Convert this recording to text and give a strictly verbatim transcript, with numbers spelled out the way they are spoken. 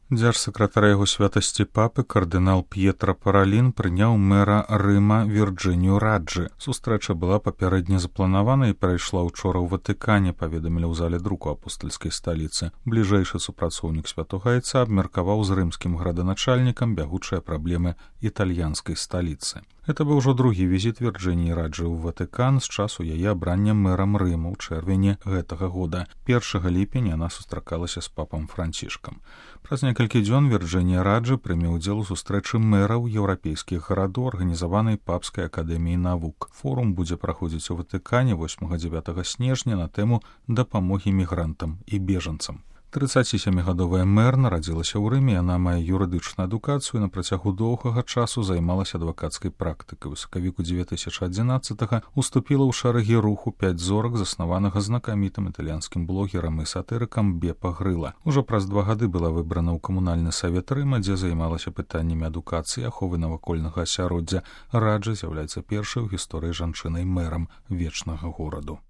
Дзяржсакратар яго святасці папы кардынал П'етра Паралін прыняў мэра Рыма Вірджынію Раджы. Сустрэча была папярэдне запланавана і прайшла ўчора ў Ватыкане, паведамілі ў зале друку апостальскай сталіцы. Бліжэйшы супрацоўнік святога айца абмеркаваў з рымскім граданачальнікам бягучыя праблемы італьянскай сталіцы. Гэта быў ужо другі візіт Вірджыніі Раджы ў Ватыкан з часу яе абрання мэрам Рыма ў чэрвені гэтага года. першага ліпеня яна сустракалася з папам Францішкам. Праз некалькі дзён Вірджынія Раджы прыме ўдзел у сустрэчы мэраў еўрапейскіх гарадоў, арганізаванай папскай акадэміяй навук. Форум будзе праходзіць у Ватыкане восьмага-дзевятага снежня на тэму дапамогі мігрантам і бежанцам. трыццацісямігадовая мэр нарадзілася ў Рыме, яна мае юрыдычную адукацыю і на працягу доўгага часу займалася адвакацкай практыкай. У сакавіку дзве тысячы адзінаццатага уступіла ў шэрагі руху пяць зорак, заснаванага знакамітым італьянскім блогерам і сатырыкам Бепа Грыла. Ужо праз два гады была выбрана ў камунальны савет Рыма, дзе займалася пытаннямі адукацыі, аховы навакольнага асяроддзя. Раджа з'яўляецца першай у гісторыі жанчынай мэрам вечнага гораду.